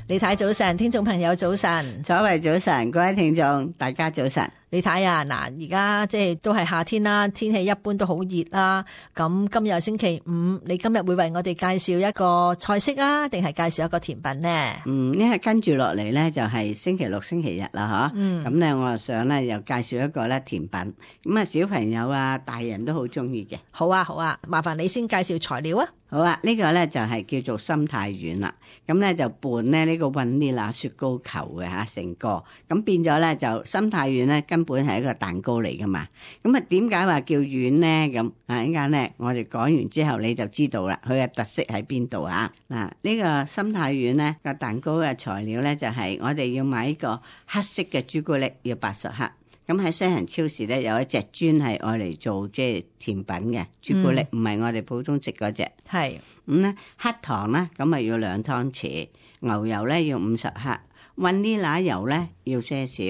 李太早晨，聽眾朋友早晨，所謂早晨，各位聽眾大家早晨。李太啊，嗱，而家即係都係夏天啦，天氣一般都好熱啦。咁今日星期五，你今日會為我哋介紹一個菜式啊，定係介紹一個甜品呢？因為跟住落嚟咧就係星期六、星期日啦，嗬。咁咧我又想咧又介紹一個咧甜品，咁啊小朋友啊、大人都好中意嘅。好啊，好啊，麻煩你先介紹材料啊。好啊，呢個咧就係叫做心太軟啦。咁咧就拌咧呢個vanilla雪糕球嘅嚇成個，咁變咗咧就心太軟咧根本係一個蛋糕嚟噶嘛。咁啊點解話叫軟咧？咁啊陣間咧我哋講完之後你就知道啦，佢嘅特色喺邊度啊？嗱，呢個心太軟咧個蛋糕嘅材料咧就係我哋要買一個黑色嘅朱古力，要80克。咁喺西人超市咧有一隻專係愛嚟做即係甜品嘅朱古力，唔係我哋普通食嗰隻。係咁咧黑糖咧咁啊要2湯匙，牛油咧要50克，vanilla油咧要些少。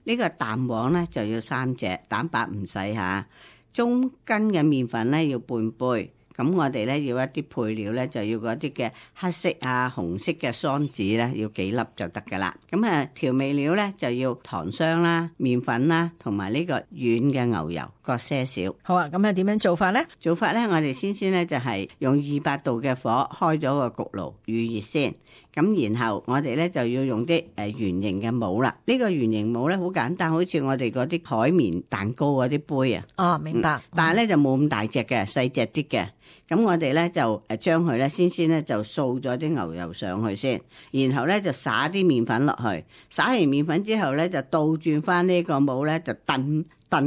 呢個蛋黃咧就要3隻，蛋白唔使嚇。中筋嘅麵粉咧要半杯。咁我哋咧要一啲配料咧，就要嗰啲嘅黑色啊、紅色嘅桑子咧，要幾粒就得噶啦。咁啊調味料咧就要糖霜啦、麵粉啦，同埋呢個軟嘅牛油各些少。好啊，咁啊點樣做法咧？做法咧，我哋先咧就係用200度嘅火開咗個焗爐預熱先。咁然後我哋咧就要用啲圓形嘅模啦。呢個圓形模咧好簡單，好似我哋嗰啲海綿蛋糕嗰啲杯啊。哦，明白。但係咧就冇咁大隻嘅，細隻啲嘅。咁我哋咧就將佢咧先咧就掃咗啲牛油上去先，然後咧就撒啲麵粉落去，撒完麵粉之後咧就倒轉翻呢個模咧就燉一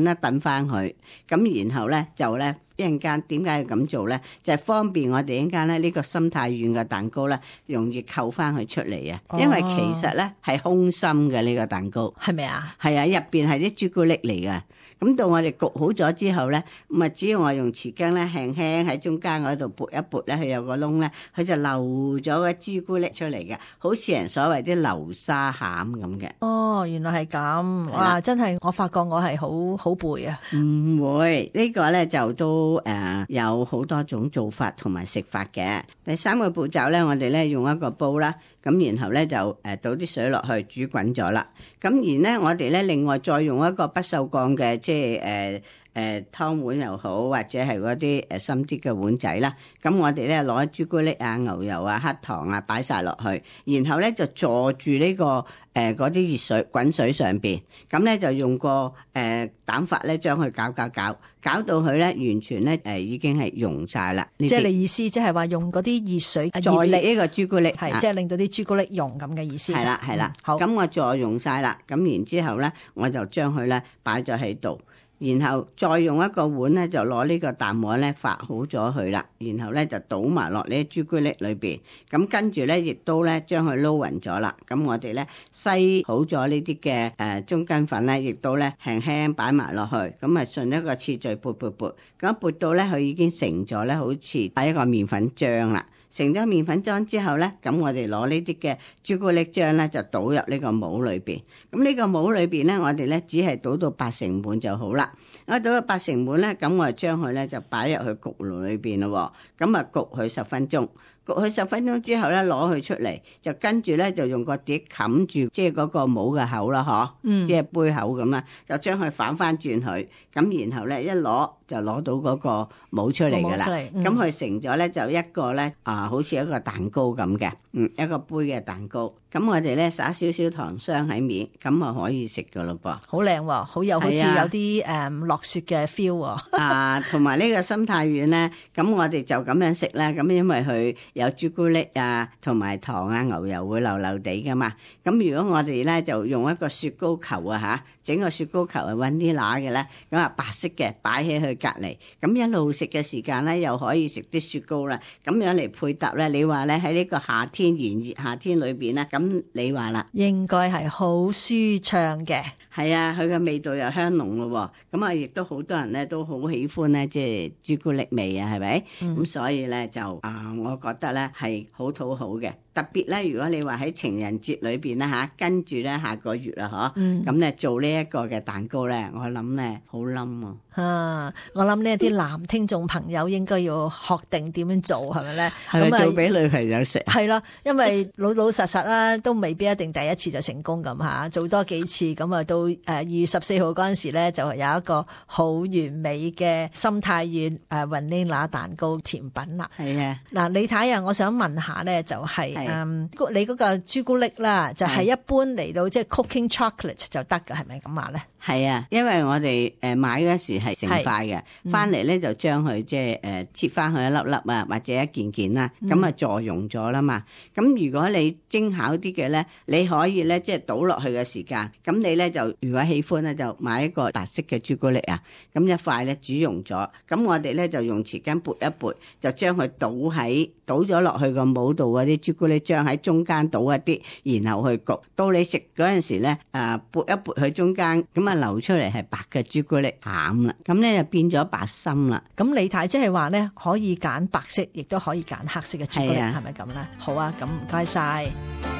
燉翻佢，咁然後咧就咧一陣間點解要咁做咧？就係方便我哋一陣間咧呢個心太軟嘅蛋糕咧容易扣翻佢出嚟啊！因為其實咧係空心嘅呢個蛋糕，係咪啊？係啊，入邊係啲朱古力嚟嘅。咁到我哋焗好咗之後咧，咁啊只要我用匙羹咧輕輕喺中間嗰度撥一撥咧，佢有個窿咧，佢就流咗個朱古力出嚟嘅，好似人所謂啲流沙餡咁嘅。哦，原來係咁，哇！真係我發覺我係好背啊。唔會，呢個咧就都有好多種做法同埋食法嘅。第3個步驟咧，我哋咧用一個煲啦，咁然後咧就倒啲水落去煮滾咗啦。咁然咧我哋咧另外再用一個不鏽鋼嘅即係湯碗又好，或者係嗰啲深啲嘅碗仔啦。咁我哋咧攞朱古力啊、牛油啊、黑糖啊擺晒落去，然後咧就坐住呢個嗰啲熱水滾水上邊，咁咧就用個蛋法咧將佢攪到佢咧完全咧已經係溶晒啦。即係你意思，即係話用嗰啲熱水再熱呢個朱古力，係即係令到啲朱古力溶咁嘅意思。係啦係啦，好。咁我再溶晒啦，咁然之後咧我就將佢咧擺咗喺度。然後再用一個碗咧，就攞呢個蛋黃咧發好咗佢啦，然後咧就倒埋落呢啲朱古力裏邊，咁跟住咧亦都咧將佢撈勻咗啦。咁我哋咧篩好咗呢啲嘅中筋粉咧，亦都咧輕輕擺埋落去，咁啊順一個次序撥，咁撥到咧佢已經成咗咧，好似係一個麵粉漿啦。成咗麵粉漿之後咧，咁我哋攞呢啲嘅朱古力漿咧，就倒入呢個模裏邊。咁呢個模裏邊咧，我哋咧只係倒到80滿就好啦。我倒到80滿咧，咁我就將佢咧就擺入去焗爐裏邊咯。咁啊焗佢10分鐘。焗佢10分鐘之後咧，攞佢出嚟，就跟住咧就用個碟冚住，即係嗰個模嘅口啦，嗬，即係杯口咁啦，就將佢反翻轉佢，咁然後咧一攞就攞到嗰個模出嚟噶啦，咁佢成咗咧就一個咧好似一個蛋糕咁嘅，一個杯嘅蛋糕。咁我哋咧撒少少糖霜喺面，咁啊可以食噶咯噃。好靚喎，好似有啲落雪嘅 feel 喎。同埋呢個心太軟咧，咁我哋就咁樣食啦。咁因為佢有朱古力啊，同埋糖啊、牛油會流流地噶嘛。咁如果我哋咧就用一個雪糕球啊整個雪糕球係揾啲乸嘅咧，咁啊白色嘅擺起佢隔離，咁一路食嘅時間咧又可以食啲雪糕啦。咁樣嚟配搭咧，你話咧喺呢個夏天炎熱夏天裏邊咧，咁你話啦，應該係好舒暢嘅。係啊，佢嘅味道又香濃咯，咁啊，亦都好多人咧都好喜歡咧，即係朱古力味啊，係咪？咁所以咧就我覺得咧係好討好嘅。特別咧，如果你話喺情人節裏邊啦嚇，跟住咧下個月啊，咁咧做呢一個嘅蛋糕咧，我諗咧好冧啊！我諗呢啲男聽眾朋友應該要學定點樣做，係咪咧？係咪做俾女朋友食？係啦，因為老老實實啦，都未必一定第一次就成功咁嚇，做多幾次咁啊，到2月14號嗰陣時咧，就有一個好完美嘅心太軟vanilla 蛋糕甜品啦。係啊，嗱，李太啊，我想問下咧，就係你嗰個朱古力啦，就係一般嚟到即係 cooking chocolate 就得㗎，係咪咁話咧？係啊，因為我哋買嗰時係成塊嘅，翻嚟咧就將佢即係切翻佢一粒粒啊，或者一件件啦，咁啊助溶咗啦嘛。咁如果你精巧啲嘅咧，你可以咧即係倒落去嘅時間，咁你咧就如果喜歡咧就買一個白色嘅朱古力啊，咁一塊咧煮溶咗，咁我哋咧就用匙羹撥一撥，就將佢倒咗落去個模度嗰啲朱古力漿喺中間倒一啲，然後去焗，到你食嗰陣時咧撥一撥去中間，咁啊流出嚟係白嘅朱古力餡啦，咁咧就變咗白心啦。咁李太即係話咧，可以揀白色，亦都可以揀黑色嘅朱古力，係啊，係咪咁咧？好啊，咁唔該晒。